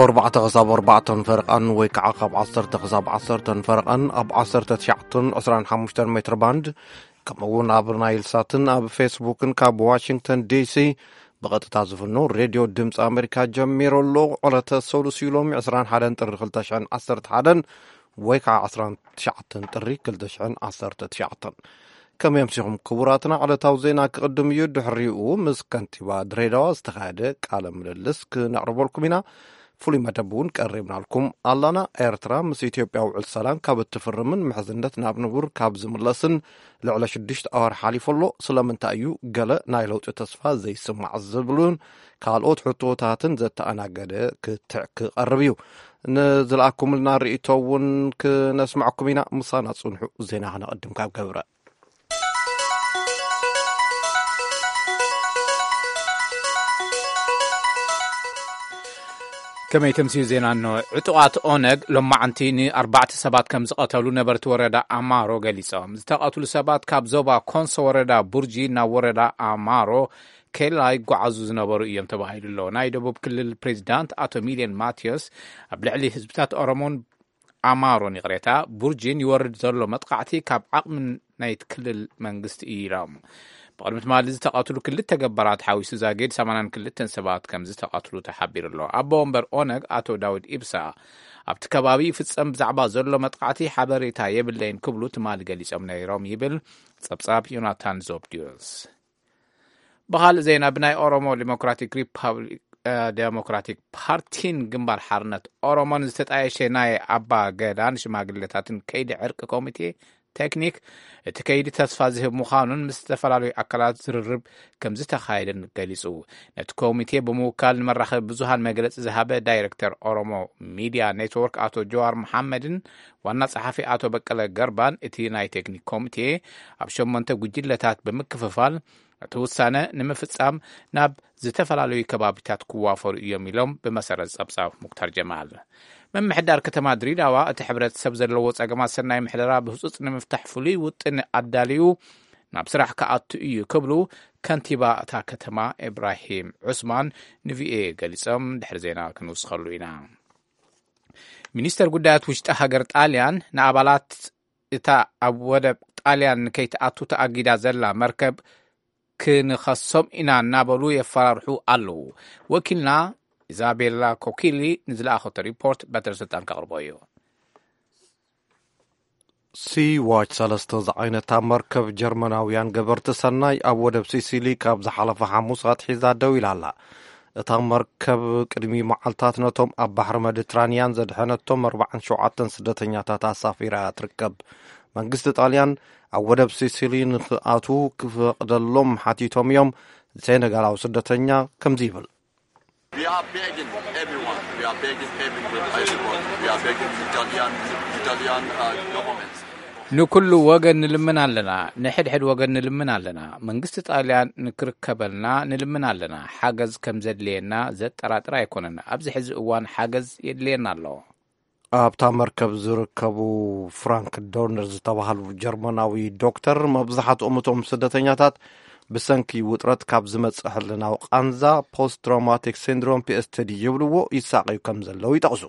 ኣርባዕተ ክሳብ ኣርባዕተን ፈረቓን ወይ ከዓ ካብ ዓሰርተ ክሳብ ዓሰርተን ፈረቓን ኣብ ዓሰርተ ትሽዓተን ዕስራን ሓሙሽተን ሜትር ባንድ፣ ከምኡ እውን ኣብ ናይል ሳትን ኣብ ፌስቡክን ካብ ዋሽንግተን ዲሲ ብቐጥታ ዝፍኖ ሬድዮ ድምፂ ኣሜሪካ ጀሚሩ ኣሎ። ዕለተ ሰሉስ እዩ ሎሚ ዕስራን ሓደን ጥሪ ክልተ ሽሕን ዓሰርተ ሓደን ወይ ከዓ ዕስራን ትሽዓተን ጥሪ ክልተ ሽሕን ዓሰርተ ትሽዓተን። ከመይ ኣምሲኹም ክቡራትና? ዕለታዊ ዜና ክቕድም እዩ። ድሕሪኡ ምስ ከንቲባ ድሬዳዋ ዝተኻየደ ቃለ ምልልስ ክነቕርበልኩም ኢና። ፍሉይ መደብ እውን ቀሪብናልኩም ኣላና። ኤርትራ ምስ ኢትዮጵያ ውዕል ሰላም ካብ እትፍርምን ምሕዝነት ናብ ንቡር ካብ ዝምለስን ልዕሊ ሽዱሽተ ኣዋር ሓሊፉ ኣሎ። ስለምንታይ እዩ ገለ ናይ ለውጢ ተስፋ ዘይስማዕ ዝብሉን ካልኦት ሕቶታትን ዘተኣናገደ ክትዕ ክቐርብ እዩ። ንዝለኣኩምልና ርእይቶ እውን ክነስምዐኩም ኢና። ምሳና ጽንሑ። ዜና ክነቐድም ካብ ገብረ። ከመይ ተምስዩ ዜና እንሆ። ዕጡቓት ኦነግ ሎማዓንቲ ንኣርባዕተ ሰባት ከም ዝቐተሉ ነበርቲ ወረዳ ኣማሮ ገሊጾም። ዝተቐትሉ ሰባት ካብ ዞባ ኮንሶ ወረዳ ቡርጂ ናብ ወረዳ ኣማሮ ኬላ ይጓዓዙ ዝነበሩ እዮም ተባሂሉ ኣሎ። ናይ ደቡብ ክልል ፕሬዚዳንት ኣቶ ሚልዮን ማቴዎስ ኣብ ልዕሊ ህዝብታት ኦሮሞን ኣማሮን ይቕሬታ ቡርጂን ይወርድ ዘሎ መጥቃዕቲ ካብ ዓቕሚ ናይቲ ክልል መንግስቲ እዩ ኢሎም። ብቕድሚ ትማሊ ዝተቐትሉ ክልተ ገባራት ሓዊሱ ዛጊድ ሰማንያን ክልተን ሰባት ከም ዝተቐትሉ ተሓቢሩ ኣሎ። ኣቦ ወንበር ኦነግ ኣቶ ዳውድ ኢብሳ ኣብቲ ከባቢ ይፍጸም ብዛዕባ ዘሎ መጥቃዕቲ ሓበሬታ የብለይን ክብሉ ትማሊ ገሊጾም ነይሮም ይብል ጸብጻብ ዮናታን ዞብድዮስ። ብኻልእ ዜና ብናይ ኦሮሞ ዲሞክራቲክ ሪፓብሊክ እ፣ ዴሞክራቲክ ፓርቲን ግንባር ሓርነት ኦሮሞን ዝተጣየሸ ናይ ኣባ ገዳን ሽማግሌታትን ከይዲ ዕርቂ ኮሚቴ ቴክኒክ እቲ ከይዲ ተስፋ ዝህብ ምዃኑን ምስ ዝተፈላለዩ ኣካላት ዝርርብ ከም ዝተኻየደን ገሊጹ። ነቲ ኮሚቴ ብምውካል ንመራኸቢ ብዙሃን መግለጺ ዝሃበ ዳይሬክተር ኦሮሞ ሚድያ ኔትወርክ ኣቶ ጀዋር መሓመድን ዋና ጸሓፊ ኣቶ በቀለ ገርባን እቲ ናይ ቴክኒክ ኮሚቴ ኣብ ሸሞንተ ጉጅለታት ብምክፍፋል እቲ ውሳነ ንምፍጻም ናብ ዝተፈላለዩ ከባቢታት ክዋፈሩ እዮም ኢሎም ብመሰረት ጸብጻብ ሙክታር ጀማል። ምምሕዳር ከተማ ድሪዳዋ እቲ ሕብረተሰብ ዘለዎ ጸገማት ሰናይ ምሕደራ ብህጹጽ ንምፍታሕ ፍሉይ ውጥን ኣዳልዩ ናብ ስራሕ ክኣቱ እዩ ክብሉ ከንቲባ እታ ከተማ ኢብራሂም ዑስማን ንቪኦኤ ገሊጾም። ድሕሪ ዜና ክንውስኸሉ ኢና። ሚኒስተር ጉዳያት ውሽጢ ሃገር ጣልያን ንኣባላት እታ ኣብ ወደብ ጣልያን ንከይትኣቱ ተኣጊዳ ዘላ መርከብ ክንኸሶም ኢና እናበሉ የፈራርሑ ኣለዉ። ወኪልና ኢዛቤላ ኮኪሊ ንዝለኣኸቶ ሪፖርት በትረ ስልጣን ከቕርቦ እዩ። ሲ ዋች ሰለስተ ዝዓይነታ መርከብ ጀርመናውያን ገበርቲ ሰናይ ኣብ ወደብ ሲሲሊ ካብ ዝሓለፈ ሓሙስ ኣትሒዛ ደው ኢላ ኣላ። እታ መርከብ ቅድሚ መዓልታት ነቶም ኣብ ባሕሪ መዲትራንያን ዘድሐነቶም ኣርባዓን ሸውዓተን ስደተኛታት ኣሳፊራ እያ ትርከብ። መንግስቲ ጣልያን ኣብ ወደብ ሲሲሊ ንኽኣትዉ ክፈቕደሎም ሓቲቶም እዮም። ሴኔጋላዊ ስደተኛ ከምዚ ይብል። We are begging everyone. We are begging everyone. We are begging Italian, Italian uh, government. ንኩሉ ወገን ንልምን ኣለና፣ ንሕድሕድ ወገን ንልምን ኣለና። መንግስቲ ጣልያን ንክርከበልና ንልምን ኣለና። ሓገዝ ከም ዘድልየና ዘጠራጥር ኣይኮነን። ኣብዚ ሕዚ እዋን ሓገዝ የድልየና ኣሎ። ኣብታ መርከብ ዝርከቡ ፍራንክ ዶርነር ዝተባህሉ ጀርመናዊ ዶክተር፣ መብዛሕትኦም እቶም ስደተኛታት ብሰንኪ ውጥረት ካብ ዝመጽእ ሕልናዊ ቃንዛ፣ ፖስት ትራውማቲክ ሲንድሮም፣ ፒኤስቲዲ ይብልዎ፣ ይሳቐዩ ከም ዘለዉ ይጠቕሱ።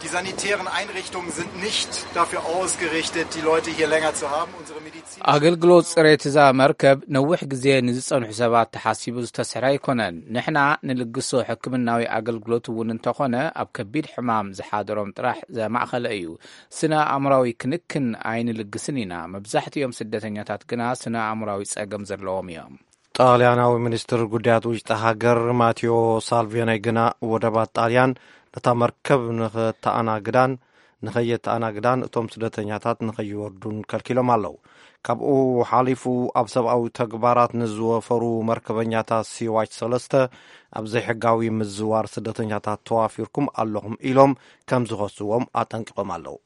Die sanitären Einrichtungen sind nicht dafür ausgerichtet, die Leute hier länger zu haben. Unsere Medizin. ኣገልግሎት ጽሬት እዛ መርከብ ነዊሕ ግዜ ንዝጸንሑ ሰባት ተሓሲቡ ዝተሰርሐ ኣይኮነን። ንሕና ንልግሶ ሕክምናዊ ኣገልግሎት እውን እንተኾነ ኣብ ከቢድ ሕማም ዝሓደሮም ጥራሕ ዘማእኸለ እዩ። ስነ ኣእምራዊ ክንክን ኣይንልግስን ኢና። መብዛሕትኦም ስደተኛታት ግና ስነ ኣእምራዊ ጸገም ዘለዎም እዮም። ጣልያናዊ ሚኒስትር ጉዳያት ውሽጢ ሃገር ማቴዎ ሳልቪኒ ግና ወደባት ጣልያን ነታ መርከብ ንኸተኣናግዳን ንኸየተኣናግዳን እቶም ስደተኛታት ንኸይወርዱን ከልኪሎም ኣለዉ። ካብኡ ሓሊፉ ኣብ ሰብኣዊ ተግባራት ንዝወፈሩ መርከበኛታት ሲዋች ሰለስተ ኣብ ዘይሕጋዊ ምዝዋር ስደተኛታት ተዋፊርኩም ኣለኹም ኢሎም ከም ዝኸስዎም ኣጠንቂቖም ኣለዉ።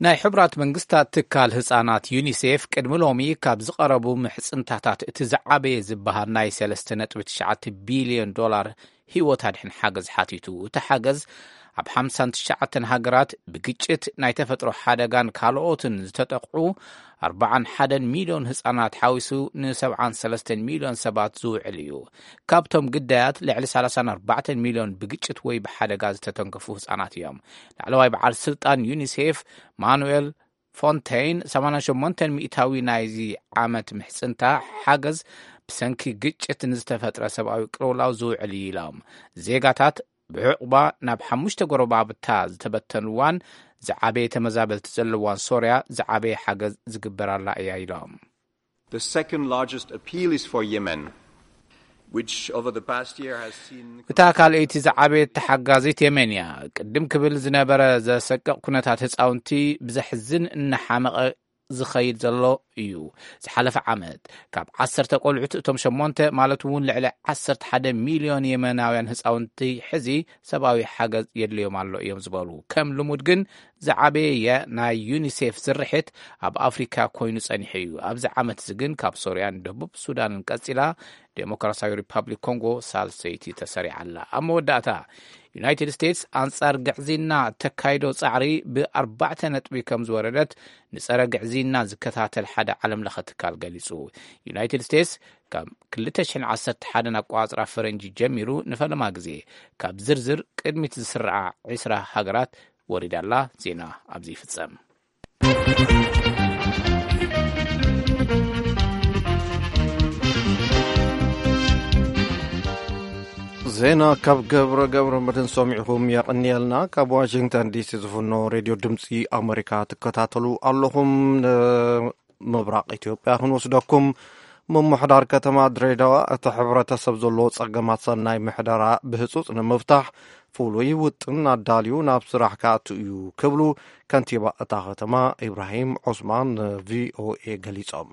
ናይ ሕቡራት መንግስታት ትካል ህጻናት ዩኒሴፍ ቅድሚ ሎሚ ካብ ዝቐረቡ ምሕጽንታታት እቲ ዝዓበየ ዝበሃል ናይ ሰለስተ ነጥቢ ትሽዓተ ቢልዮን ዶላር ህይወት ኣድሕን ሓገዝ ሓቲቱ። እቲ ሓገዝ ኣብ ሓምሳን ትሽዓተን ሃገራት ብግጭት፣ ናይ ተፈጥሮ ሓደጋን ካልኦትን ዝተጠቕዑ ኣርባዓን ሓደን ሚልዮን ህጻናት ሓዊሱ ን ሰብዓን ሰለስተን ሚልዮን ሰባት ዝውዕል እዩ። ካብቶም ግዳያት ልዕሊ ሰላሳን ኣርባዕተን ሚልዮን ብግጭት ወይ ብሓደጋ ዝተተንከፉ ህጻናት እዮም። ላዕለዋይ በዓል ስልጣን ዩኒሴፍ ማኑኤል ፎንተይን፣ ሰማንያን ሸሞንተን ሚእታዊ ናይዚ ዓመት ምሕጽንታ ሓገዝ ብሰንኪ ግጭት ንዝተፈጥረ ሰብኣዊ ቅልውላው ዝውዕል እዩ ኢሎም። ዜጋታት ብዕቑባ ናብ ሓሙሽተ ጎረባብታ ዝተበተንዋን ዝዓበየ ተመዛበልቲ ዘለዋን ሶርያ ዝዓበየ ሓገዝ ዝግበራላ እያ ኢሎም። The second largest appeal is for Yemen, which over the past year has seen እታ ካልኣይቲ ዝዓበየት ተሓጋዚት የመን እያ። ቅድም ክብል ዝነበረ ዘሰቅቕ ኩነታት ህፃውንቲ ብዘሕዝን እናሓመቐ ዝኸይድ ዘሎ እዩ። ዝሓለፈ ዓመት ካብ ዓሰርተ ቆልዑት እቶም ሸሞንተ ማለት እውን ልዕሊ ዓሰርተ ሓደ ሚልዮን የመናውያን ህፃውንቲ ሕዚ ሰብኣዊ ሓገዝ የድልዮም ኣሎ እዮም ዝበሉ። ከም ልሙድ ግን ዝዓበየ ናይ ዩኒሴፍ ስርሒት ኣብ ኣፍሪካ ኮይኑ ጸኒሑ እዩ። ኣብዚ ዓመት እዚ ግን ካብ ሶርያን ደቡብ ሱዳንን ቀጺላ ዴሞክራሲያዊ ሪፓብሊክ ኮንጎ ሳልሰይቲ ተሰሪዓ ኣላ። ኣብ መወዳእታ ዩናይትድ ስቴትስ ኣንጻር ግዕዝይና እተካይዶ ጻዕሪ ብኣርባዕተ ነጥቢ ከም ዝወረደት ንጸረ ግዕዝይና ዝከታተል ሓደ ዓለም ለኸ ትካል ገሊጹ። ዩናይትድ ስቴትስ ካብ ክልተ ሽሕን ዓሰርተ ሓደን ኣቋጽራ ፈረንጂ ጀሚሩ ንፈለማ ግዜ ካብ ዝርዝር ቅድሚት ዝስርዓ ዕስራ ሃገራት ወሪዳ ኣላ። ዜና ኣብዚ ይፍጸም። ዜና ካብ ገብረ ገብረ መድን ሰሚዕኹም የቐንየልና። ካብ ዋሽንግተን ዲሲ ዝፍኖ ሬድዮ ድምፂ ኣሜሪካ ትከታተሉ ኣለኹም። ንምብራቕ ኢትዮጵያ ክንወስደኩም። ምምሕዳር ከተማ ድሬዳዋ እቲ ሕብረተሰብ ዘለዎ ፀገማት ሰናይ ምሕደራ ብህፁፅ ንምፍታሕ ፍሉይ ውጥን ኣዳልዩ ናብ ስራሕ ክኣቱ እዩ ክብሉ ከንቲባ እታ ከተማ ኢብራሂም ዑስማን ንቪኦኤ ገሊፆም።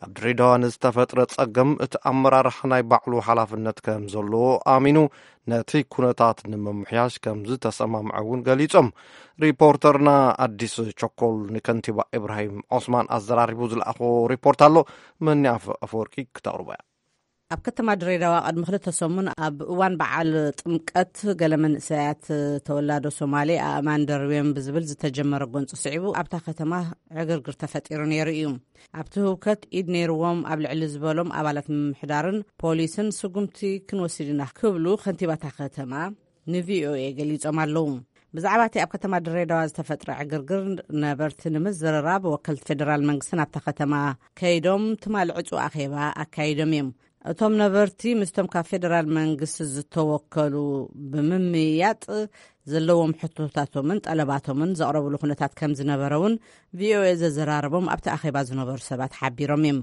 ኣብ ድሬዳዋ ንዝተፈጥረ ፀገም እቲ ኣመራርሓ ናይ ባዕሉ ሓላፍነት ከም ዘለዎ ኣሚኑ ነቲ ኩነታት ንምምሕያሽ ከም ዝተሰማምዐ እውን ገሊፆም። ሪፖርተርና ኣዲስ ቸኮል ንከንቲባ ኢብራሂም ዑስማን ኣዘራሪቡ ዝለኣኾ ሪፖርት ኣሎ። መኒ ኣፈወርቂ ክተቕርቦ እያ። ኣብ ከተማ ድሬዳዋ ቅድሚ ክልተ ሰሙን ኣብ እዋን በዓል ጥምቀት ገለ መንእሰያት ተወላዶ ሶማሌ ኣእማን ደርብዮም ብዝብል ዝተጀመረ ጎንፂ ስዒቡ ኣብታ ከተማ ዕግርግር ተፈጢሩ ነይሩ እዩ። ኣብቲ ህውከት ኢድ ነይርዎም ኣብ ልዕሊ ዝበሎም ኣባላት ምምሕዳርን ፖሊስን ስጉምቲ ክንወስድ ኢና ክብሉ ከንቲባታ ከተማ ንቪኦኤ ገሊጾም ኣለዉ። ብዛዕባ እቲ ኣብ ከተማ ድሬዳዋ ዝተፈጥረ ዕግርግር ነበርቲ ንምዝርራብ ወከልቲ ፌደራል መንግስቲ ናብታ ከተማ ከይዶም ትማሊ ዕጹ ኣኼባ ኣካይዶም እዮም። እቶም ነበርቲ ምስቶም ካብ ፌደራል መንግስቲ ዝተወከሉ ብምምይያጥ ዘለዎም ሕቶታቶምን ጠለባቶምን ዘቕረብሉ ኩነታት ከም ዝነበረ እውን ቪኦኤ ዘዘራረቦም ኣብቲ ኣኼባ ዝነበሩ ሰባት ሓቢሮም እዮም።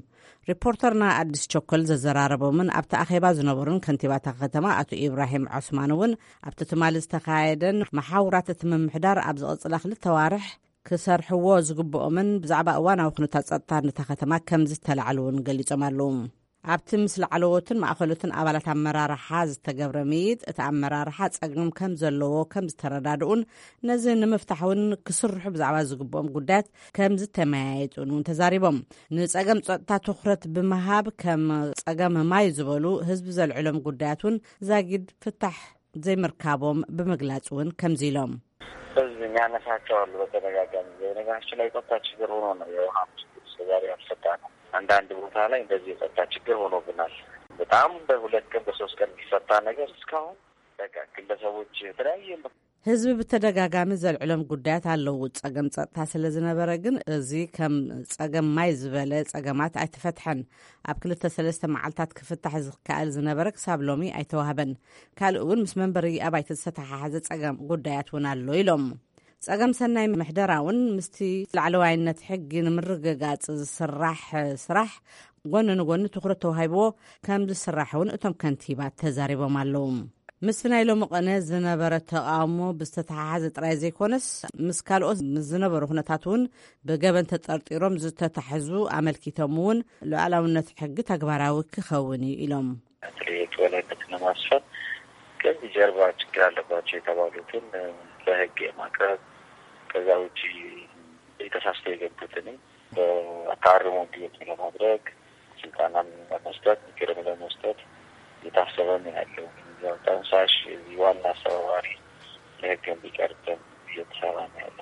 ሪፖርተርና ኣዲስ ቸኮል ዘዘራረቦምን ኣብቲ ኣኼባ ዝነበሩን ከንቲባታ ከተማ ኣቶ ኢብራሂም ዖስማን እውን ኣብቲ ትማሊ ዝተኻየደን መሓውራት እቲ ምምሕዳር ኣብ ዝቕፅላ ክልተ ዋርሕ ክሰርሕዎ ዝግብኦምን ብዛዕባ እዋናዊ ኩነታት ፀጥታ ነታ ከተማ ከም ዝተላዕሉ እውን ገሊፆም ኣለዉ። ኣብቲ ምስ ላዕለዎትን ማእኸሎትን ኣባላት ኣመራርሓ ዝተገብረ ምይይጥ እቲ ኣመራርሓ ፀገም ከም ዘለዎ ከም ዝተረዳድኡን ነዚ ንምፍታሕ እውን ክስርሑ ብዛዕባ ዝግብኦም ጉዳያት ከም ዝተመያየጡን እውን ተዛሪቦም። ንፀገም ፀጥታ ትኹረት ብምሃብ ከም ፀገም ማይ ዝበሉ ህዝቢ ዘልዕሎም ጉዳያት እውን ዛጊድ ፍታሕ ዘይምርካቦም ብምግላፅ እውን ከምዚ ኢሎም። ህዝብ የሚያነሳቸው አሉ። በተደጋጋሚ የነገራችን ላይ የጸጥታ ችግር ሆኖ ነው የውሃ ችግር እስከዛሬ ያልፈታ ነው። አንዳንድ ቦታ ላይ እንደዚህ የጸጥታ ችግር ሆኖብናል። በጣም በሁለት ቀን በሶስት ቀን የሚፈታ ነገር እስካሁን በቃ ግለሰቦች የተለያየ ህዝቢ ብተደጋጋሚ ዘልዕሎም ጉዳያት ኣለዉ። ጸገም ጸጥታ ስለ ዝነበረ ግን እዚ ከም ጸገም ማይ ዝበለ ጸገማት ኣይተፈትሐን። ኣብ ክልተ ሰለስተ መዓልታት ክፍታሕ ዝከኣል ዝነበረ ክሳብ ሎሚ ኣይተዋህበን። ካልእ እውን ምስ መንበሪ ኣባይቲ ዝተተሓሓዘ ጸገም ጉዳያት እውን ኣሎ ኢሎም። ጸገም ሰናይ ምሕደራ እውን ምስቲ ላዕለዋይነት ሕጊ ንምርግጋጽ ዝስራሕ ስራሕ ጎኒ ንጎኒ ትኹረት ተዋሂብዎ ከም ዝስራሕ እውን እቶም ከንቲባ ተዛሪቦም ኣለዉ። ምስቲ ናይ ሎሚ ቐነ ዝነበረ ተቓውሞ ብዝተተሓሓዘ ጥራይ ዘይኮነስ ምስ ካልኦት ዝነበሩ ኩነታት እውን ብገበን ተጠርጢሮም ዝተታሕዙ ኣመልኪቶም እውን ሉዓላውነት ሕጊ ተግባራዊ ክኸውን እዩ ኢሎም። በተለይ የህግ የበላይነትን ለማስፈን ከዚህ ጀርባ ችግር አለባቸው የተባሉትን ለህግ የማቅረብ ከዛ ውጪ ተሳስተው የገቡትንም በአርሞ እንዲወጡ ለማድረግ ስልጠናም ለመስጠት ምክርም ለመስጠት እየታሰበ ነው ያለው። ጠንሳሽ ዋና አስተባባሪ ሕግን ቢቀርትን እየተሰራ ነው ያለው።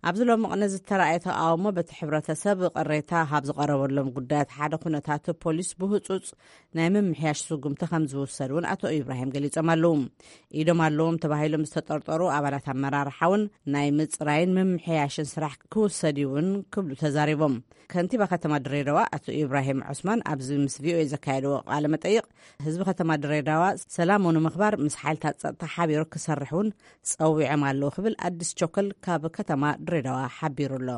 ኣብዚ ሎሚ ቅነ ዝተራእየ ተቃውሞ በቲ ሕብረተሰብ ቅሬታ ካብ ዝቐረበሎም ጉዳያት ሓደ ኩነታት ፖሊስ ብህጹጽ ናይ ምምሕያሽ ስጉምቲ ከም ዝውሰድ እውን ኣቶ ኢብራሂም ገሊጾም ኣለዉ። ኢዶም ኣለዎም ተባሂሎም ዝተጠርጠሩ ኣባላት ኣመራርሓ እውን ናይ ምጽራይን ምምሕያሽን ስራሕ ክውሰድ እዩ እውን ክብሉ ተዛሪቦም። ከንቲባ ከተማ ድሬዳዋ ኣቶ ኢብራሂም ዑስማን ኣብዚ ምስ ቪኦኤ ዘካየድዎ ቃለ መጠይቕ፣ ህዝቢ ከተማ ድሬዳዋ ሰላሙ ንምኽባር ምስ ሓይልታት ጸጥታ ሓቢሩ ክሰርሕ እውን ጸዊዖም ኣለዉ ክብል ኣዲስ ቸኮል ካብ ከተማ ድሬዳዋ ሓቢሩ ኣሎ።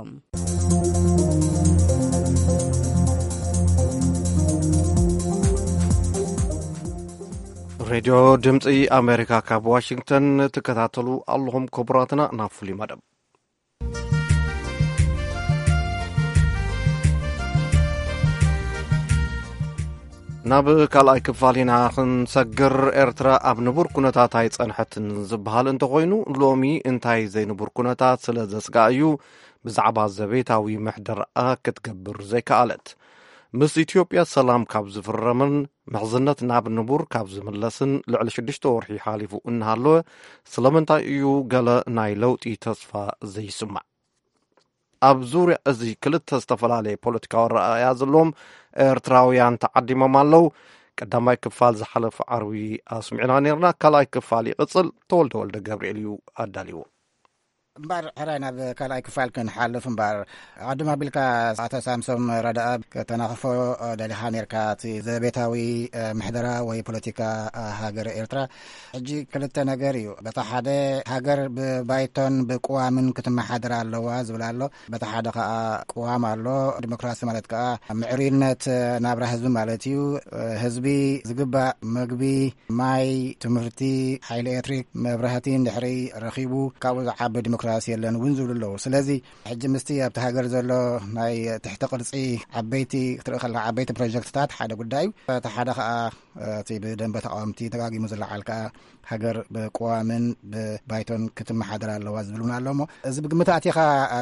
ሬድዮ ድምፂ ኣሜሪካ ካብ ዋሽንግተን ትከታተሉ ኣለኹም ክቡራትና። ናብ ፍሉይ መደብ ናብ ካልኣይ ክፋል ኢና ክንሰግር። ኤርትራ ኣብ ንቡር ኩነታት ኣይጸንሐትን ዝበሃል እንተኾይኑ፣ ሎሚ እንታይ ዘይንቡር ኩነታት ስለ ዘስግኣ እዩ ብዛዕባ ዘቤታዊ ምሕደራኣ ክትገብር ዘይከኣለት? ምስ ኢትዮጵያ ሰላም ካብ ዝፍረምን ምሕዝነት ናብ ንቡር ካብ ዝምለስን ልዕሊ ሽዱሽተ ወርሒ ሓሊፉ እናሃለወ፣ ስለምንታይ እዩ ገለ ናይ ለውጢ ተስፋ ዘይስማዕ? ኣብ ዙርያ እዚ ክልተ ዝተፈላለየ ፖለቲካዊ ኣረኣእያ ዘለዎም ኤርትራውያን ተዓዲሞም ኣለዉ። ቀዳማይ ክፋል ዝሓለፈ ዓርቢ ኣስሚዕና ነርና። ካልኣይ ክፋል ይቕጽል። ተወልደ ወልደ ገብርኤል እዩ ኣዳልዎ። እምበር ሕራይ ናብ ካልኣይ ክፋል ክንሓልፍ እምበር፣ ኣቐድም ኣቢልካ ኣቶ ሳምሶም ረዳኣ ከተናኽፎ ደሊኻ ነርካ። እቲ ዘቤታዊ ምሕደራ ወይ ፖለቲካ ሃገር ኤርትራ ሕጂ ክልተ ነገር እዩ። በታ ሓደ ሃገር ብባይቶን ብቅዋምን ክትመሓደር ኣለዋ ዝብል ኣሎ። በታ ሓደ ከኣ ቅዋም ኣሎ። ዲሞክራሲ ማለት ከኣ ምዕሩይነት ናብራ ህዝቢ ማለት እዩ። ህዝቢ ዝግባእ መግቢ፣ ማይ፣ ትምህርቲ፣ ሓይሊ ኤሌክትሪክ፣ መብራህቲ እንድሕሪ ረኺቡ ካብኡ ዝዓቢ ዲሞክራሲ የለን እውን ዝብሉ ኣለዉ። ስለዚ ሕጂ ምስቲ ኣብቲ ሃገር ዘሎ ናይ ትሕቲ ቅርጺ ዓበይቲ ክትርኢ ከለካ ዓበይቲ ፕሮጀክትታት ሓደ ጉዳይ እዩ። እቲ ሓደ ከኣ እቲ ብደንበ ተቃወምቲ ደጋጊሙ ዝለዓል ከኣ ሃገር ብቅዋምን ብባይቶን ክትመሓደር ኣለዋ ዝብል እውን ኣሎ። እሞ እዚ ብግምት ኣቲኻ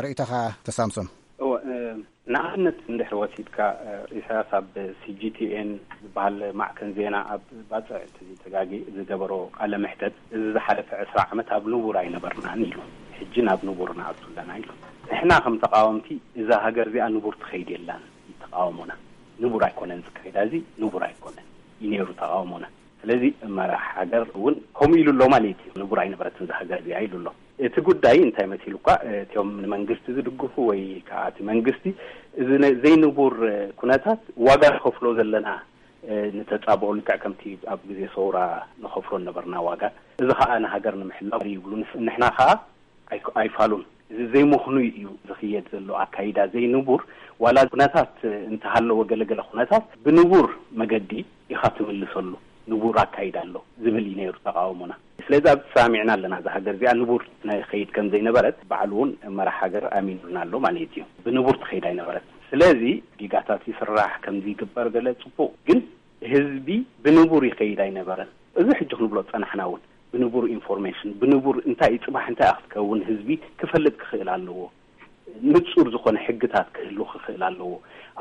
ርእይቶኻ ተሳምሶም? እወ፣ እ፣ ንኣብነት እንድሕር ወሲድካ፣ እ፣ ኢሳያስ ኣብ ሲ ጂ ቲ ኤን ዝበሃል ማዕከን ዜና ኣብ ባጽዕ እንተዘይተጋጊ ዝገበሮ ቃለ መሕተት፣ እዚ ዝሓለፈ ዕስራ ዓመት ኣብ ንቡር ኣይነበርናን ኢሉ። ሕጂ ናብ ንቡር ንኣቱ ኣለና ኢሉ። ንሕና ከም ተቃወምቲ እዛ ሃገር እዚኣ ንቡር ትኸይድ የላን እዩ ተቃውሞና። ንቡር ኣይኮነን ዝካየዳ፣ እዚ ንቡር ኣይኮነን እዩ ነይሩ ተቃውሞና። ስለዚ መራሕ ሃገር እውን ከምኡ ኢሉ ኣሎ ማለት እዩ። ንቡር ኣይነበረትን እዛ ሃገር እዚኣ ኢሉ ኣሎ። እቲ ጉዳይ እንታይ መሲሉ እኳ፣ እቲኦም ንመንግስቲ ዝድግፉ ወይ ከዓ እቲ መንግስቲ እዚ ነ-፣ ዘይንቡር ኩነታት ዋጋ ንኸፍሎ ዘለና፣ እ፣ ንተጻብኦ ልክዕ ከምቲ ኣብ ግዜ ሰውራ ንኸፍሎ ነበርና ዋጋ። እዚ ከዓ ንሃገር ንምሕላው ይብሉ። ንስ-፣ ንሕና ከዓ ኣይ-፣ ኣይፋሉን። እዚ ዘይምኽኑይ እዩ ዝኽየድ ዘሎ ኣካይዳ ዘይንቡር። ዋላ ኩነታት እንተሃለወ ገለገለ ኩነታት ብንቡር መገዲ ኢኻ ትምልሰሉ። ንቡር ኣካይዳ ኣሎ ዝብል እዩ ነይሩ ተቃውሞና። ስለዚ ኣብ ተሰማሚዕና ኣለና። እዛ ሃገር እዚኣ ንቡር ናይ ኸይድ ከም ዘይነበረት ባዕሉ እውን መራሕ ሃገር ኣሚኑና ኣሎ ማለት እዩ። ብንቡር ትኸይድ ኣይነበረት። ስለዚ ዲጋታት ይስራሕ ከምዚ ይግበር ገለ ጽቡቕ፣ ግን ህዝቢ ብንቡር ይኸይድ ኣይነበረን። እዚ ሕጂ ክንብሎ ጸናሕና እውን ብንቡር ኢንፎርሜሽን፣ ብንቡር እንታይ እዩ ጽባሕ እንታይ ክትከውን ህዝቢ ክፈልጥ ክኽእል ኣለዎ። ንጹር ዝኾነ ሕግታት ክህሉ ክኽእል ኣለዎ።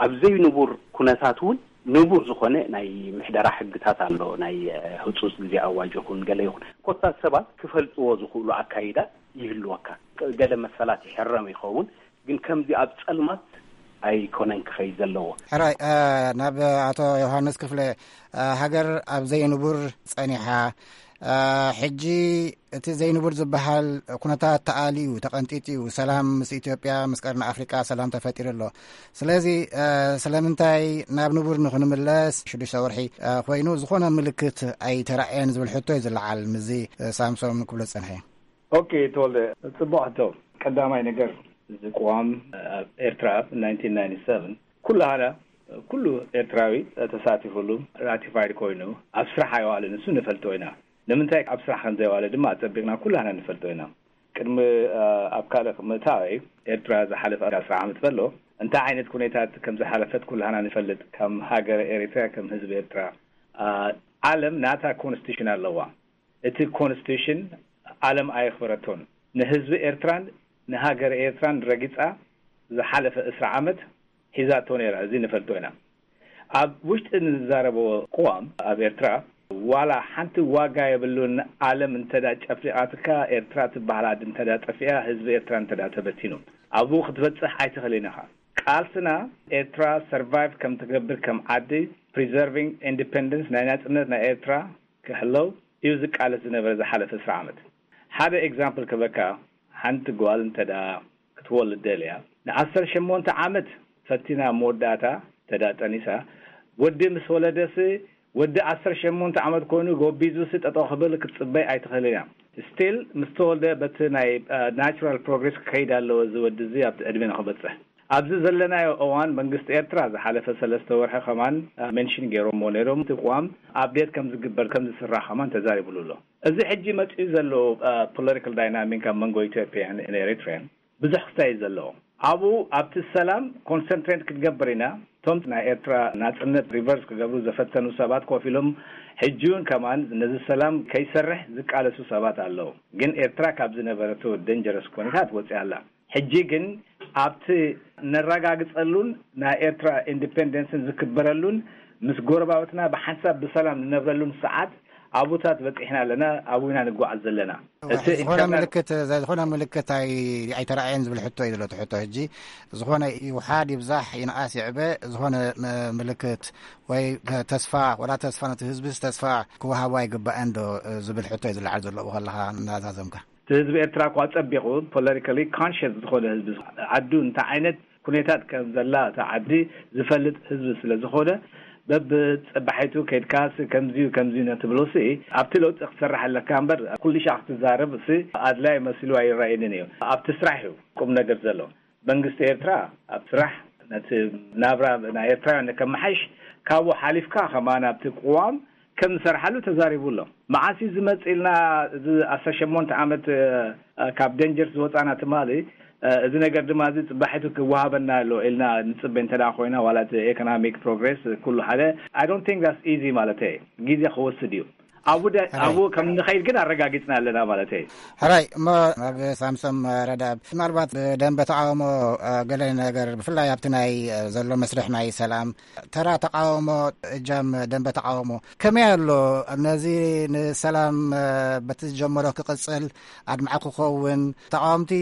ኣብ ዘይንቡር ኩነታት እውን ንቡር ዝኾነ ናይ ምሕደራ ሕግታት ኣሎ። ናይ፣ እ፣ ህጹጽ ግዜ ኣዋጅ ይኹን ገለ ይኹን ኮታ ሰባት ክፈልጥዎ ዝኽእሉ ኣካይዳ ይህልወካ። ገለ መሰላት ይሕረም ይኸውን፣ ግን ከምዚ ኣብ ጸልማት ኣይኮነን ክኸይድ ዘለዎ። ሕራይ፣ እ፣ ናብ ኣቶ ዮሃንስ ክፍለ፣ እ፣ ሃገር ኣብ ዘይንቡር ጸኒሓ፣ እ፣ ሕጂ እቲ ዘይንቡር ዝበሃል ኩነታት ተኣልዩ፣ ተቐንጢጡ እዩ። ሰላም ምስ ኢትዮጵያ፣ ምስ ቀርኒ ኣፍሪቃ ሰላም ተፈጢሩ ኣሎ። ስለዚ፣ እ፣ ስለምንታይ ናብ ንቡር ንኽንምለስ ሽዱሽተ ወርሒ፣ እ፣ ኮይኑ ዝኾነ ምልክት ኣይተራእየን ዝብል ሕቶ እዩ ዝለዓል። ምስዚ፣ እ፣ ሳምሶም ክብሎ ዝጸንሐ። ኦኬ፣ ተወልደ፣ ጽቡቕ ሕቶ። ቀዳማይ ነገር፣ እዚ ቅዋም ኣብ ኤርትራ ብ ናይንቲን ናይንቲ ሰቨን ኩላህና፣ ኩሉ ኤርትራዊ ተሳቲፉሉ፣ ራቲፋይድ ኮይኑ ኣብ ስራሕ ኣይዋልን፣ እሱ ንፈልጦ ኢና። ንምንታይ ኣብ ስራሕ ከም ዘይዋለ ድማ ኣጸቢቕና ኩላህና ንፈልጦ ኢና። ቅድሚ፣ እ፣ ኣብ ካልእ ምእታወይ፣ ኤርትራ ዝሓለፈ ኣስር ዓመት ከሎ እንታይ ዓይነት ኩነታት ከም ዝሓለፈት ኩላህና ንፈልጥ። ከም ሃገር ኤርትራ፣ ከም ህዝቢ ኤርትራ፣ እ፣ ዓለም ናታ ኮንስቲቱሽን ኣለዋ። እቲ ኮንስቲቱሽን ዓለም ኣየኽበረቶን። ንህዝቢ ኤርትራን ንሃገር ኤርትራን ረጊጻ ዝሓለፈ ዕስራ ዓመት ሒዛቶ ነይራ። እዚ ንፈልጦ ኢና። ኣብ ውሽጢ ንዛረቦ ቅዋም ኣብ ኤርትራ ዋላ ሓንቲ ዋጋ የብሉን። ዓለም እንተዳ ጨፊቓትካ፣ ኤርትራ ትበሃል ዓዲ እንተዳ ጠፊኣ፣ ህዝቢ ኤርትራ እንተዳ ተበቲኑ፣ ኣብኡ ክትበጽሕ ኣይትኽእልን ኢኻ። ቃልስና ኤርትራ ሰርቫይቭ ከም ትገብር፣ ከም ዓዲ፣ ፕሪዘርቪንግ ኢንዲፐንደንስ፣ ናይ ናጽነት ናይ ኤርትራ ክሕለው እዩ ዝቃለስ ዝነበረ ዝሓለፈ ዕስራ ዓመት። ሓደ ኤግዛምፕል ክበካ፣ ሓንቲ ጓል እንተዳ ክትወልድ ደልያ፣ ንዓሰርተ ሸሞንተ ዓመት ፈቲና መወዳእታ እንተዳ ጠኒሳ፣ ወዲ ምስ ወለደሲ፣ ወዲ ዓሰርተ ሸሞንተ ዓመት ኮይኑ ጎቢዙሲ ጠጠው ክብል ክትጽበይ ኣይትኽእልን እያ። ስቲል ምስ ተወልደ በቲ ናይ ናቹራል ፕሮግሬስ ክኸይድ ኣለዎ እዚ ወዲ እዚ ኣብቲ ዕድመ ንኽበጽሕ። ኣብዚ ዘለናዮ እዋን መንግስቲ ኤርትራ ዝሓለፈ ሰለስተ ወርሒ ከማን ሜንሽን ገይሮሞ ነይሮም። እቲ ቅዋም ኣፕዴት ከም ዝግበር ከም ዝስራሕ ከማን ተዛሪብሉ ኣሎ። እዚ ሕጂ መጺኡ ዘሎ ፖለቲካል ዳይናሚክ ኣብ መንጎ ኢትዮጵያን ኤሪትሪያን ብዙሕ ክስታይ እዩ ዘለዎ። ኣብኡ ኣብቲ ሰላም ኮንሰንትሬት ክትገብር ኢና። እቶም ናይ ኤርትራ ናጽነት ሪቨርስ ክገብሩ ዘፈተኑ ሰባት ኮፍ ኢሎም ሕጂ እውን ከማን ነዚ ሰላም ከይሰርሕ ዝቃለሱ ሰባት ኣለዉ። ግን ኤርትራ ካብ ዝነበረቶ ደንጀረስ ኩነታት ወጺኣ ኣላ። ሕጂ ግን ኣብቲ ነረጋግጸሉን ናይ ኤርትራ ኢንዲፔንደንስን ዝክበረሉን ምስ ጎረባብትና ብሓንሳብ ብሰላም ንነብረሉን ሰዓት ኣብኡታት በጺሕና ኣለና፣ ኣብኡ ኢና ንጓዓዝ ዘለና። እቲ ዝኾነ ኢንተርናል ምልክት ዝኾነ ምልክት ኣይ ኣይተራእየን ዝብል ሕቶ እዩ ዘሎ። እቲ ሕቶ ሕጂ ዝኾነ ይውሓድ ይብዛሕ ይንኣስ ይዕበ ዝኾነ ም- ምልክት ወይ ተስፋ ወላ ተስፋ ነቲ ህዝብስ ተስፋ ክወሃቦ ኣይግባእን ዶ ዝብል ሕቶ እዩ ዝለዓል ዘሎ ከለኻ እናዛዘምካ። እቲ ህዝቢ ኤርትራ እኳ ጸቢቑ ፖለቲካሊ ኮንሽስ ዝኾነ ህዝቢ ዓዱ እንታይ ዓይነት ኩነታት ከም ዘላ እታ ዓዲ ዝፈልጥ ህዝቢ ስለ ዝኾነ በብጸባሒቱ ከይድካስ ከምዚዩ ከምዚዩ ነትብሎሲ ኣብቲ ለውጢ ክትሰርሕ ኣለካ እምበር ኩሉ ሻዕ ክትዛረብ ሲ ኣድላይ መሲሉ ኣይረኣየንን እዩ። ኣብቲ ስራሕ እዩ ቁም ነገር ዘሎ። መንግስቲ ኤርትራ ኣብ ስራሕ ነቲ ናብራ ናይ ኤርትራውያን ከመሓይሽ ካብኡ ሓሊፍካ ከማን ኣብቲ ቅዋም ከም ዝሰርሓሉ ተዛሪቡ ኣሎ። መዓስ እዩ ዝመጽእ ኢልና እዚ ዓሰርተ ሸሞንተ ዓመት ካብ ደንጀር ዝወጻና ትማሊ እዚ ነገር ድማ እዚ ጽባሒቱ ክወሃበና ኣሎ ኢልና ንጽበ እንተ ኮይና ዋላ እቲ ኤኮኖሚክ ፕሮግሬስ ኩሉ ሓደ I don't think that's easy ማለት ግዜ ክወስድ እዩ። ኣብኡ ኣብኡ ከም ንኸይድ ግን ኣረጋጊጽና ኣለና ማለት እዩ። ሕራይ እሞ ኣብ ሳምሶም ረዳብ ምናልባት ደንበ ተቃውሞ ገለ ነገር ብፍላይ ኣብቲ ናይ ዘሎ መስርሕ ናይ ሰላም ተራ ተቃውሞ እጃም ደንበ ተቃውሞ ከመይ ኣሎ? ነዚ ንሰላም በቲ ዝጀመሮ ክቅጽል ኣድማዒ ክኸውን ተቃወምቲ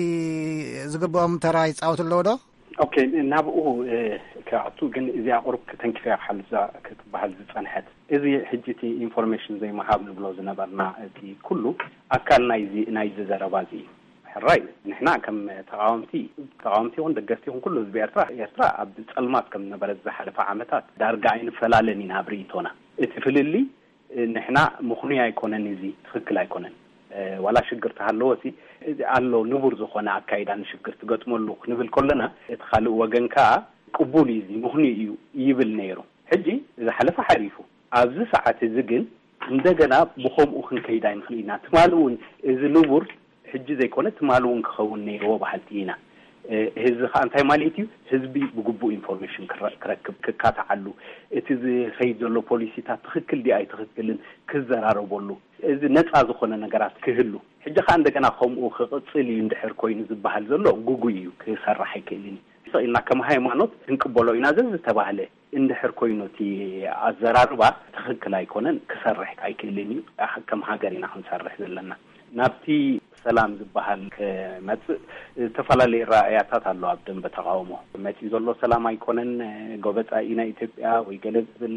ዝግብኦም ተራ ይጻወቱ ኣለዉ ዶ? ኦኬ፣ ናብኡ ክኣቱ ግን እዚኣ ቁሩብ ተንኪፈያ ክሓልፍ ክትበሃል ዝጸንሐት እዚ ሕጂ እቲ ኢንፎርሜሽን ዘይምሃብ ንብሎ ዝነበርና እቲ ኩሉ ኣካል ናይዚ ናይዚ ዘረባ እዚ እዩ። ሕራይ ንሕና ከም ተቃወምቲ ተቃወምቲ ይኹን ደገፍቲ ይኹን ኩሉ ህዝቢ ኤርትራ ኤርትራ ኣብ ጸልማት ከም ዝነበረ ዝሓለፈ ዓመታት ዳርጋ ኣይንፈላለን ኢና ኣብ ርእይቶና። እቲ ፍልልይ ንሕና ምኽኑይ ኣይኮነን፣ እዚ ትኽክል ኣይኮነን። ዋላ ሽግር ተሃለወ ሲ ኣሎ ንቡር ዝኾነ ኣካይዳ ንሽግር ትገጥመሉ ክንብል ከለና እቲ ካልእ ወገን ከኣ ቅቡል እዩ፣ እዚ ምኽኑይ እዩ ይብል ነይሩ። ሕጂ ዝሓለፈ ሓሊፉ ኣብዚ ሰዓት እዚ ግን እንደገና ብኸምኡ ክንከይድ ኣይንኽእል ኢና። ትማሊ እውን እዚ ንቡር ሕጂ ዘይኮነ ትማሊ እውን ክኸውን ነይርዎ በሃልቲ ኢና። ህዝቢ ከዓ እንታይ ማለት እዩ? ህዝቢ ብግቡእ ኢንፎርሜሽን ክረክብ ክካታዓሉ እቲ ዝኸይድ ዘሎ ፖሊሲታት ትኽክል ድዩ ኣይትኽክልን ክዘራረበሉ እዚ ነፃ ዝኾነ ነገራት ክህሉ ሕጂ ከዓ እንደገና ከምኡ ክቕፅል እዩ እንድሕር ኮይኑ ዝበሃል ዘሎ ጉጉይ እዩ፣ ክሰርሕ ኣይክእልን እዩ። ስቕ ኢልና ከም ሃይማኖት ክንቅበሎ ኢና ዘዝተባህለ እንድሕር ኮይኑ እቲ ኣዘራርባ ትኽክል ኣይኮነን፣ ክሰርሕ ኣይክእልን እዩ። ከም ሃገር ኢና ክንሰርሕ ዘለና። ናብቲ ሰላም ዝበሃል ክመፅእ ዝተፈላለዩ ራእያታት ኣሎ። ኣብ ደንበ ተቃውሞ መፂኡ ዘሎ ሰላም ኣይኮነን፣ ጎበፃ ኢና ኢትዮጵያ ወይ ገለ ዝብል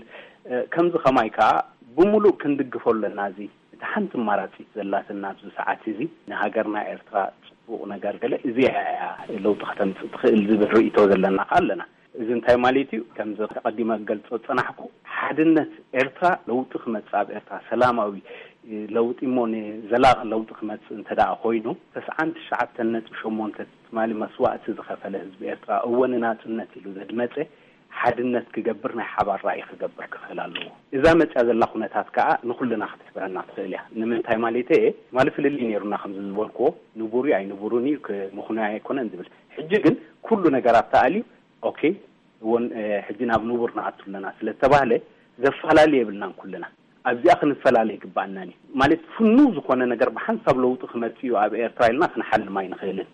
ከምዚ ከማይ ከዓ ብምሉእ ክንድግፎ ኣለና። እዚ እቲ ሓንቲ ኣማራፂት ዘላትና ኣብዚ ሰዓት እዚ ንሃገርና ኤርትራ ፅቡቕ ነገር ገለ እዚኣ እያ ለውጢ ከተምፅእ ትኽእል ዝብል ርእይቶ ዘለና ከዓ ኣለና። እዚ እንታይ ማለት እዩ? ከምዚ ቀዲመ ክገልጾ ዝጸናሕኩ ሓድነት ኤርትራ ለውጢ ክመጽእ ኣብ ኤርትራ ሰላማዊ ለውጢ እሞ ንዘላቒ ለውጢ ክመጽእ እንተ ደኣ ኮይኑ ተስዓን ትሽዓተን ነጥቢ ሸሞንተ ትማሊ መስዋእቲ ዝኸፈለ ህዝቢ ኤርትራ እወ ንናጽነት ኢሉ ዘድመጸ ሓድነት ክገብር ናይ ሓባር ራእይ ክገብር ክኽእል ኣለዎ። እዛ መጽያ ዘላ ኩነታት ከኣ ንኹልና ክትሕብረና ትኽእል እያ። ንምንታይ ማለተይ እየ? ትማሊ ፍልልይ ነይሩና ከምዚ ዝበልክዎ ንቡር እዩ ኣይንቡርን እዩ ምኽኑይ ኣይኮነን ዝብል ሕጂ ግን ኩሉ ነገራት ተኣልዩ ኦኬ እውን ሕጂ ናብ ንቡር ንኣቱ ኣለና ስለ ዝተባህለ ዘፈላለ የብልናን። ኩልና ኣብዚኣ ክንፈላለ ይግባኣናን እዩ ማለት ፍኑው ዝኾነ ነገር ብሓንሳብ ለውጢ ክመጽእ እዩ ኣብ ኤርትራ ኢልና ክንሓልም ኣይንኽእልን።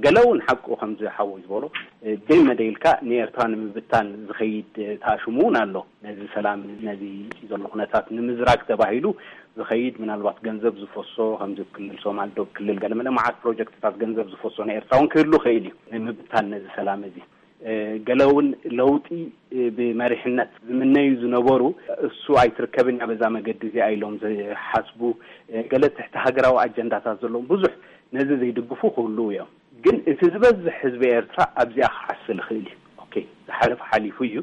ገለ እውን ሓቁ ከምዚ ሓወይ ዝበሎ ደይ መደይልካ ንኤርትራ ንምብታን ዝኸይድ ታሽሙ እውን ኣሎ። ነዚ ሰላም ነዚ ዘሎ ኩነታት ንምዝራግ ተባሂሉ ዝኸይድ ምናልባት ገንዘብ ዝፈሶ ከምዚ ክልል ሶማል ዶብ ክልል ገለመለ መዓት ፕሮጀክትታት ገንዘብ ዝፈሶ ንኤርትራ እውን ክህሉ ይኽእል እዩ ንምብታን ነዚ ሰላም እዚ። ገለ እውን ለውጢ ብመሪሕነት ዝምነዩ ዝነበሩ እሱ ኣይትርከብን እያ በዛ መገዲ እዚኣ ኢሎም ዝሓስቡ ገለ ትሕቲ ሃገራዊ ኣጀንዳታት ዘለዎም ብዙሕ ነዚ ዘይድግፉ ክህልዉ እዮም። ግን እቲ ዝበዝሕ ህዝቢ ኤርትራ ኣብዚኣ ክዓስል ይኽእል እዩ። ኦኬ፣ ዝሓለፈ ሓሊፉ እዩ።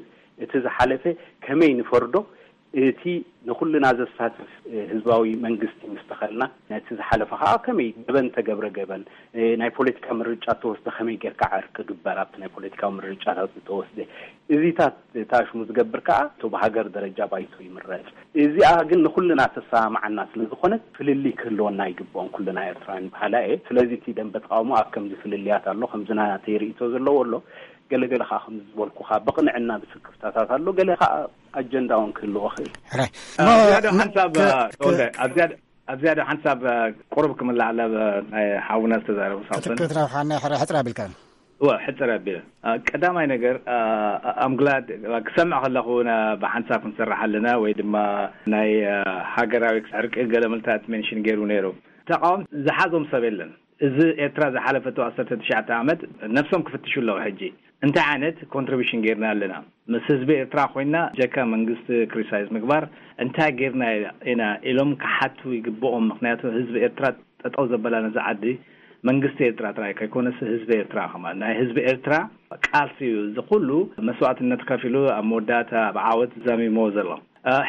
እቲ ዝሓለፈ ከመይ ንፈርዶ? እቲ ንኹልና ዘሳትፍ ህዝባዊ መንግስቲ ምስ ተኸልና ነቲ ዝሓለፈ ከዓ ከመይ ገበን ተገብረ ገበን ናይ ፖለቲካ ምርጫ ተወስደ ከመይ ጌርካ ዕርቂ ግበር ኣብቲ ናይ ፖለቲካዊ ምርጫታት ዝተወስደ እዚታት ታሽሙ ዝገብር ከዓ እቶ ብሃገር ደረጃ ባይቶ ይምረፅ። እዚኣ ግን ንኩልና ተሰማማዓና ስለ ዝኾነት ፍልልይ ክህልወና ኣይግብኦን ኩልና ኤርትራውያን በሃላ እየ። ስለዚ እቲ ደንበ ተቃውሞ ኣብ ከምዚ ፍልልያት ኣሎ፣ ከምዚ ናተይ ርእይቶ ዘለዎ ኣሎ፣ ገለገለ ከዓ ከምዚ ዝበልኩኻ ብቕንዕና ብስክፍታታት ኣሎ፣ ገለ ከዓ ኣጀንዳ እውን ክህልዎ ክእል። ሕራይ ኣብ ዝያዳ ሓንሳብ ተወልደ፣ ኣብ ዝያዳ ኣብ ዝያዳ ሓንሳብ ቁሩብ ክምልዓለ ናይ ሓውና ዝተዛረቡ ሳምሶን ክትክት ረብሓና ሕረ ሕፅር ኣቢልካ እወ ሕፅር ኣቢለ ቀዳማይ ነገር ኣምግላድ ክሰምዕ ከለኹ ብሓንሳብ ክንሰርሕ ኣለና ወይ ድማ ናይ ሃገራዊ ዕርቂ ገለ ምልታት ሜንሽን ገይሩ ነይሩ። ተቃወም ዝሓዞም ሰብ የለን። እዚ ኤርትራ ዝሓለፈቶ ዓሰርተ ትሽዓተ ዓመት ነብሶም ክፍትሹ ኣለዉ ሕጂ እንታይ ዓይነት ኮንትሪቢሽን ጌርና ኣለና? ምስ ህዝቢ ኤርትራ ኮይና ጀካ መንግስቲ ክሪሳይዝ ምግባር እንታይ ጌርና ኢና ኢሎም ክሓቱ ይግብኦም። ምክንያቱ ህዝቢ ኤርትራ ጠጠው ዘበላ ነዚ ዓዲ መንግስቲ ኤርትራ ጥራይ ከይኮነስ ህዝቢ ኤርትራ ከማን ናይ ህዝቢ ኤርትራ ቃልሲ እዩ። እዚ ኩሉ መስዋእትነት ከፊሉ ኣብ መወዳእታ ብዓወት ዛሚሞ ዘሎ።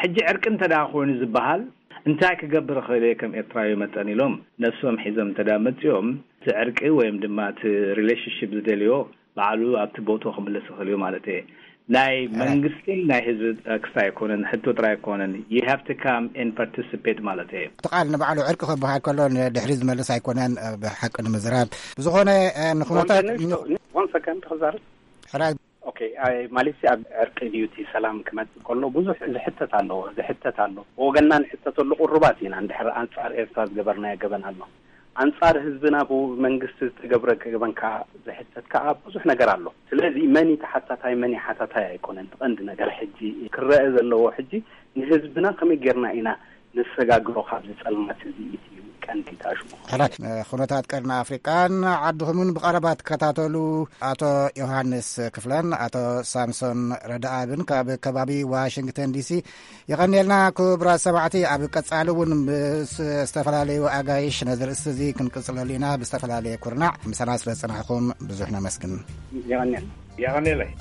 ሕጂ ዕርቂ እንተ ኮይኑ ዝበሃል እንታይ ክገብር ክእል እየ ከም ኤርትራዊ መጠን ኢሎም ነብሶም ሒዞም እንተ መፅኦም እቲ ዕርቂ ወይም ድማ እቲ ሪሌሽንሽፕ ዝደልዮ ባዕሉ ኣብቲ ቦቶ ክምለስ ይኽእል እዩ ማለት እየ። ናይ መንግስትን ናይ ህዝቢ ክስታይ ኣይኮነን፣ ሕቶ ጥራይ ኣይኮነን። You have to come and participate ማለት እየ። እቲ ቃል ንባዕሉ ዕርቂ ክበሃል ከሎ ንድሕሪ ዝመልስ ኣይኮነን። ብሓቂ ንምዝራብ ብዝኾነ ንኩነታት one second ክዛረብ ሕራይ ኦኬ፣ ማለት ኣብ ዕርቂ ድዩ እቲ ሰላም ክመጽእ ከሎ ብዙሕ ዝሕተት ኣሎ፣ ዝሕተት ኣሎ። ብወገንና ንሕተተሉ ቁሩባት ኢና። እንድሕር ኣንጻር ኤርትራ ዝገበርናዮ ገበን ኣሎ፣ ኣንጻር ህዝብና ብመንግስቲ ዝተገብረ ገበን ከኣ ዝሕተት ከኣ ብዙሕ ነገር ኣሎ። ስለዚ መን እዩ ተሓታታይ መን እዩ ሓታታይ ኣይኮነን። እቲ ቀንዲ ነገር ሕጂ ክረአ ዘለዎ ሕጂ ንህዝብና ከመይ ጌርና ኢና ነሰጋግሮ ካብዚ ጸልማት እዚ እቲ ቀንዲ ታሽሙ። ሕራይ ኩነታት ቀርኒ ኣፍሪቃን ዓድኹምን ብቐረባ ትከታተሉ ኣቶ ዮሃንስ ክፍለን ኣቶ ሳምሶን ረዳኣብን ካብ ከባቢ ዋሽንግተን ዲሲ የቐንየልና። ክቡራት ሰማዕቲ ኣብ ቀጻሊ እውን ምስ ዝተፈላለዩ ኣጋይሽ ነዚ ርእስቲ እዚ ክንቅጽለሉ ኢና። ብዝተፈላለየ ኩርናዕ ምሳና ስለ ዝጸናሕኩም ብዙሕ ነመስግን። የቐንየልና። የቐንየለይ።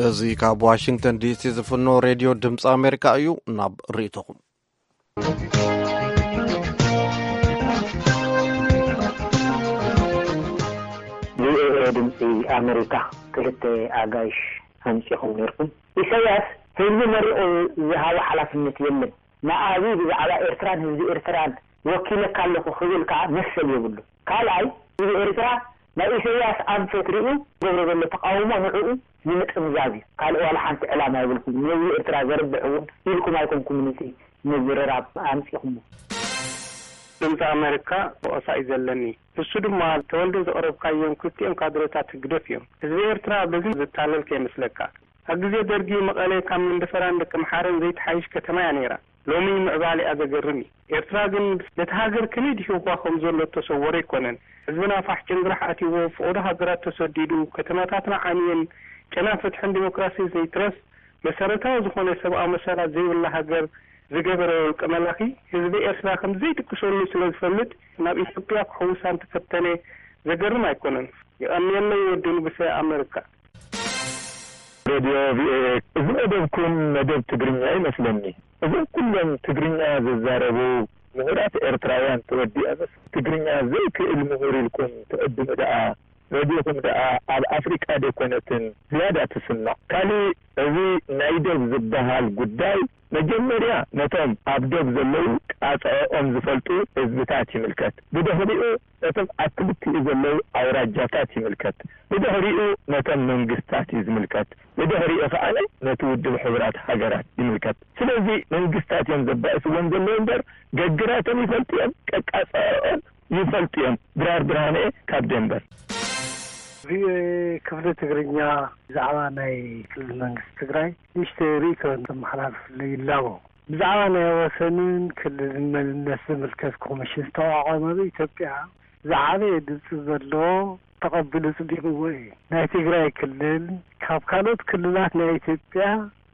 እዚ ካብ ዋሽንግተን ዲሲ ዝፍኖ ሬድዮ ድምፂ ኣሜሪካ እዩ። ናብ ርእይቶኹም። ቪኦኤ ድምፂ ኣሜሪካ፣ ክልተ ኣጋይሽ ኣምፂኹም ነይርኩም። ኢሳያስ ህዝቢ መሪቑ ዝሃቦ ሓላፍነት የለን። ንኣብይ ብዛዕባ ኤርትራን ህዝቢ ኤርትራን ወኪለካ ኣለኹ ክብል ከዓ መሰል የብሉ። ካልኣይ ህዝቢ ኤርትራ ናይ ኢሳያስ ኣንፈት ሪኡ ዝገብሮ ዘሎ ተቃውሞ ንዕኡ ንምጥምዛዝ እዩ። ካልእ ዋላ ሓንቲ ዕላማ የብልኩም። ንህዝቢ ኤርትራ ዘርብሕ እውን ኢልኩም ኣይኮንኩም ነቲ ምዝርራብ ኣምፂኹሞ። ድምፂ ኣሜሪካ ወቀሳ እዩ ዘለኒ። ንሱ ድማ ተወልደ ዘቕረብካዮም ክልቲኦም ካድረታት ህግደፍ እዮም። ህዝቢ ኤርትራ በዚ ዝታለል ከይመስለካ። ኣብ ግዜ ደርጊ መቐለ ካብ መንደፈራን ደቀምሓረን ዘይትሓይሽ ከተማ እያ ነይራ። ሎሚ ምዕባለኣ ዘገርም እዩ። ኤርትራ ግን ነቲ ሃገር ከመይ ድሂኹዋ ከም ዘሎ እተሰወረ ኣይኮነን። ህዝብና ፋሕ ጭንግራሕ ኣትይዎ፣ ፈቐዶ ሃገራት ተሰዲዱ፣ ከተማታትና ዓንየን፣ ጨና ፍትሕን ዲሞክራሲን ዘይትረፍ መሰረታዊ ዝኾነ ሰብኣዊ መሰላት ዘይብላ ሃገር ዝገበረ ውልቀ መላኺ ህዝቢ ኤርትራ ከም ዘይድቅሰሉ ስለ ዝፈልጥ ናብ ኢትዮጵያ ክሕውሳ እንተፈተነ ዘገርም ኣይኮነን። የቐንየለይ ወዲ ንጉሰ ኣመሪካ። ሬድዮ ቪኦኤ፣ እዚ መደብኩም መደብ ትግርኛ ይመስለኒ። እዞም ኩሎም ትግርኛ ዝዛረቡ ምሁራት ኤርትራውያን ተወዲኦምስ ትግርኛ ዘይክእል ምሁር ኢልኩም ትዕድሙ ደኣ ረዲኹም ደኣ ኣብ ኣፍሪቃ ደይኮነትን ዝያዳ ትስማዕ? ካልእ፣ እዚ ናይ ዶብ ዝበሃል ጉዳይ መጀመርያ ነቶም ኣብ ዶብ ዘለዉ ቃጽዕኦም ዝፈልጡ ህዝብታት ይምልከት። ብድሕሪኡ ነቶም ኣብ ክልቲኡ ዘለዉ ኣውራጃታት ይምልከት። ብድሕሪኡ ነቶም መንግስታት እዩ ዝምልከት። ብድሕሪኡ ከኣ ነቲ ውድብ ሕቡራት ሃገራት ይምልከት። ስለዚ መንግስታት እዮም ዘባእስዎም ዘለዉ እምበር፣ ገግራቶም ይፈልጡ እዮም፣ ቀቃጽዕኦም ይፈልጡ እዮም። ድራር ብርሃነ ካብ ደንበር። ቪኦኤ ክፍሊ ትግርኛ፣ ብዛዕባ ናይ ክልል መንግስቲ ትግራይ ንእሽተይ ርእይቶ እንተመሓላልፍለይ ይላቦ። ብዛዕባ ናይ ወሰንን ክልልን መንነት ዝምልከት ኮሚሽን ዝተቋቋመ ኣብ ኢትዮጵያ ዝዓበየ ድምፂ ዘለዎ ተቐቢሉ ጽዲቕዎ እዩ። ናይ ትግራይ ክልል ካብ ካልኦት ክልላት ናይ ኢትዮጵያ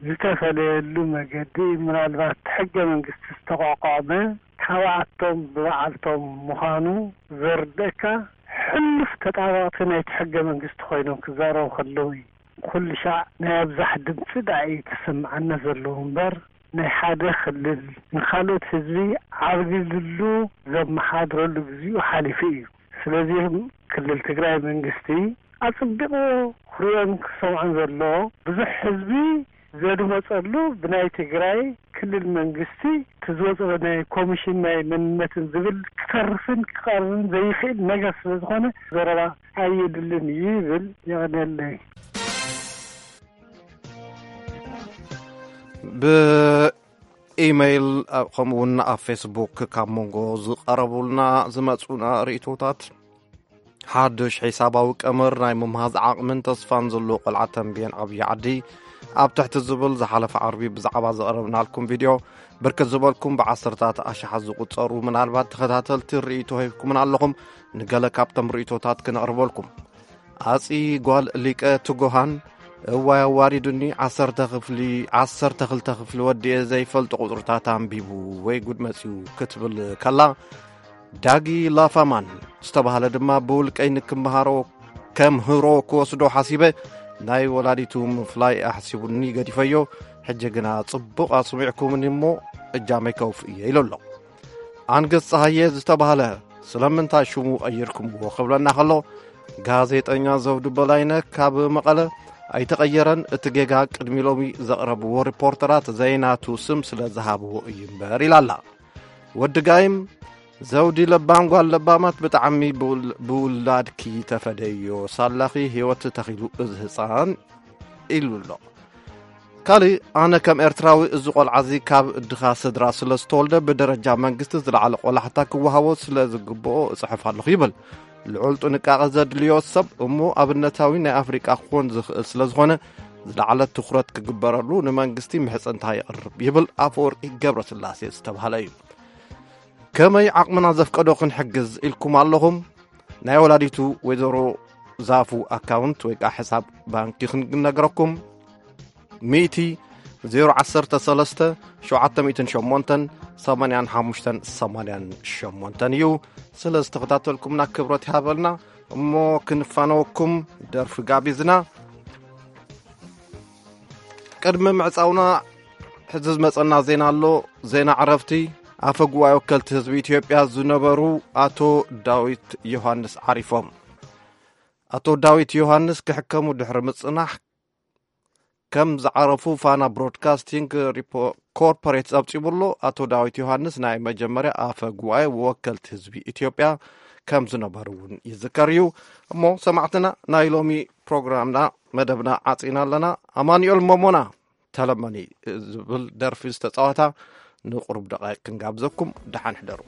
ዝተፈለየሉ መገዲ፣ ምናልባት ሕገ መንግስቲ ዝተቋቋመ ካብኣቶም ብባዕልቶም ምዃኑ ዘርድእካ፣ ሕሉፍ ተጣበቕቲ ናይቲ ሕገ መንግስቲ ኮይኖም ክዛረቡ ከለዉ እዩ። ኩሉ ሻዕ ናይ ኣብዛሕ ድምፂ ደኣ እዩ ተሰምዓና ዘለዉ እምበር፣ ናይ ሓደ ክልል ንኻልኦት ህዝቢ ዓብሊሉሉ ዘመሓድረሉ ግዚኡ ሓሊፉ እዩ። ስለዚ ክልል ትግራይ መንግስቲ ኣጽቢቑ ክርእዮን ክሰምዖን ዘለዎ፣ ብዙሕ ህዝቢ ዘድመጸሉ፣ ብናይ ትግራይ ክልል መንግስቲ እቲ ዝወጸ ናይ ኮሚሽን ናይ መንነትን ዝብል ክተርፍን ክቐርብን ዘይኽእል ነገር ስለ ዝኾነ፣ ዘረባ ኣየድልን እዩ ይብል። የቐንየለይ። ብኢመይል ከምኡ እውን ኣብ ፌስቡክ ካብ መንጎ ዝቐረቡልና ዝመፁና ርእቶታት፣ ሓዱሽ ሒሳባዊ ቀመር ናይ ምምሃዝ ዓቕምን ተስፋን ዘለዎ ቆልዓ ተንቤን ዓብዪ ዓዲ ኣብ ትሕቲ ዝብል ዝሓለፈ ዓርቢ ብዛዕባ ዘቕረብናልኩም ቪድዮ፣ ብርክት ዝበልኩም ብዓሰርታት ኣሽሓት ዝቑጸሩ ምናልባት ተኸታተልቲ ርእይቶ ሂብኩምና ኣለኹም። ንገለ ካብቶም ርእይቶታት ክነቕርበልኩም። ኣጺ ጓል ሊቀ ትጉሃን፣ እዋይ ኣዋሪዱኒ፣ ዓሰርተ ክፍሊ፣ ዓሰርተ ክልተ ክፍሊ ወዲኤ ዘይፈልጦ ቁጽርታት ኣንቢቡ፣ ወይ ጉድ መጺኡ ክትብል ከላ፣ ዳጊ ላፋማን ዝተባህለ ድማ፣ ብውልቀይ ንክምሃሮ፣ ከምህሮ ክወስዶ ሓሲበ፣ ናይ ወላዲቱ ምፍላይ ኣሕሲቡኒ ገዲፈዮ። ሕጂ ግና ጽቡቕ ኣስሚዕኩምኒ እሞ እጃመይ ከውፍእ እየ ኢሉ ኣሎ። ኣንገስ ጸሃየ ዝተባህለ፣ ስለምንታይ ሽሙ ቀይርኩምዎ ክብለና ከሎ፣ ጋዜጠኛ ዘውዱ በላይነ ካብ መቐለ ኣይተቐየረን፣ እቲ ጌጋ ቅድሚ ሎሚ ዘቕረብዎ ሪፖርተራት ዘይናቱ ስም ስለ ዝሃብዎ እዩ እምበር ኢላ ኣላ። ወዲ ጋይም፣ ዘውዲ ለባም ጓል ለባማት ብጣዕሚ ብውል- ብውላድኪ ተፈደዮ ሳላኺ ህይወት ተኺሉ እዚ ህፃን ኢሉ ኣሎ። ካልእ፣ ኣነ ከም ኤርትራዊ እዚ ቆልዓ እዚ ካብ ድኻ ስድራ ስለ ዝተወልደ ብደረጃ መንግስቲ ዝለዓለ ቆላሕታ ክወሃቦ ስለ ዝግብኦ እጽሕፍ ኣለኹ ይብል። ልዑል ጥንቃቐ ዘድልዮ ሰብ እሞ ኣብነታዊ ናይ ኣፍሪቃ ክኾን ዝኽእል ስለ ዝኾነ ዝለዓለ ትኹረት ክግበረሉ ንመንግስቲ ምሕጽንታ የቕርብ ይብል ኣፈወርቂ ገብረስላሴ ዝተባህለ እዩ። ከመይ ዓቕምና ዘፍቀዶ ክንሕግዝ ኢልኩም ኣለኹም። ናይ ወላዲቱ ወይዘሮ ዛፉ ኣካውንት ወይ ከዓ ሕሳብ ባንኪ ክንነግረኩም፣ ሚእቲ ዜሮ ዓሰርተ ሰለስተ ሸውዓተ ሚእትን ሸሞንተን ሰማንያን ሓሙሽተን ሰማንያን ሸሞንተን እዩ። ስለ ዝተኸታተልኩምና ክብረት ይሃበልና። እሞ ክንፋነወኩም ደርፊ ጋቢዝና። ቅድሚ ምዕጻውና ሕዚ ዝመጸና ዜና ኣሎ። ዜና ዕረፍቲ። ኣፈ ጉባኤ ወከልቲ ህዝቢ ኢትዮጵያ ዝነበሩ ኣቶ ዳዊት ዮሃንስ ዓሪፎም። ኣቶ ዳዊት ዮሃንስ ክሕከሙ ድሕሪ ምጽናሕ ከም ዝዓረፉ ፋና ብሮድካስቲንግ ሪፖ- ኮርፖሬት ጸብጺቡ ኣሎ። ኣቶ ዳዊት ዮሃንስ ናይ መጀመርያ ኣፈ ጉባኤ ወከልቲ ህዝቢ ኢትዮጵያ ከም ዝነበሩ እውን ይዝከር እዩ። እሞ ሰማዕትና፣ ናይ ሎሚ ፕሮግራምና መደብና ዓጺና ኣለና። ኣማኑኤል መሞና ተለመኒ ዝብል ደርፊ ዝተጻወታ ንቁሩብ ደቃይቅ ክንጋብዘኩም። ደሓን ሕደሩ።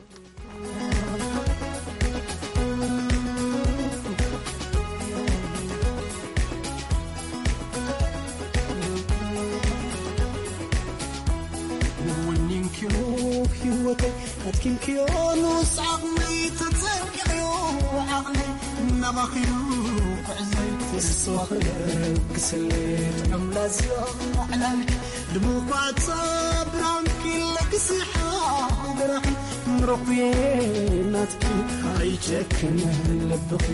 ወኒንክዮ ህይወተይ ኣትኪንክዮ ንኡስ ዓቕመይ ተጸንኪዕዮ ዓቕመይ እናባኺኑ ክዕዘይ ተስፋ ክለግስለይ ጥዑም ላዝያ ዕላልኪ ድሙቋት ብርሃንኪ ለግሲሓ ሃገራኺ ምረኹየ ናትኪ ኣይጨክን ልብኺ።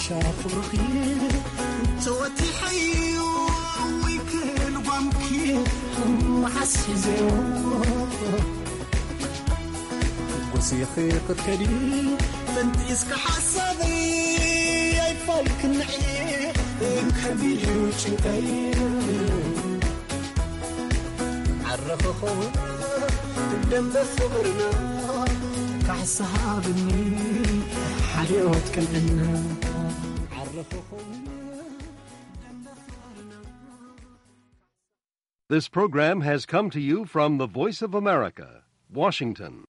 ሻ ክብርኺ ተወቲሐዮ ወይ ክልጓምኪ መሓስ ሒዘዮ ጎሲኺ ክትከዲ ፈንጢስካ ሓሳበይ ኣይፋል ክንዒ ከቢድ እዩ ጭንቀይ ዓረኸ ኸውን ደንበ ፍቕርና ካሕሳ ሃብኒ ሓልዮት ቅንዕና ዓረኸ ኸውን ደንበ ፍቕርና This program has come to you from the Voice of America, Washington.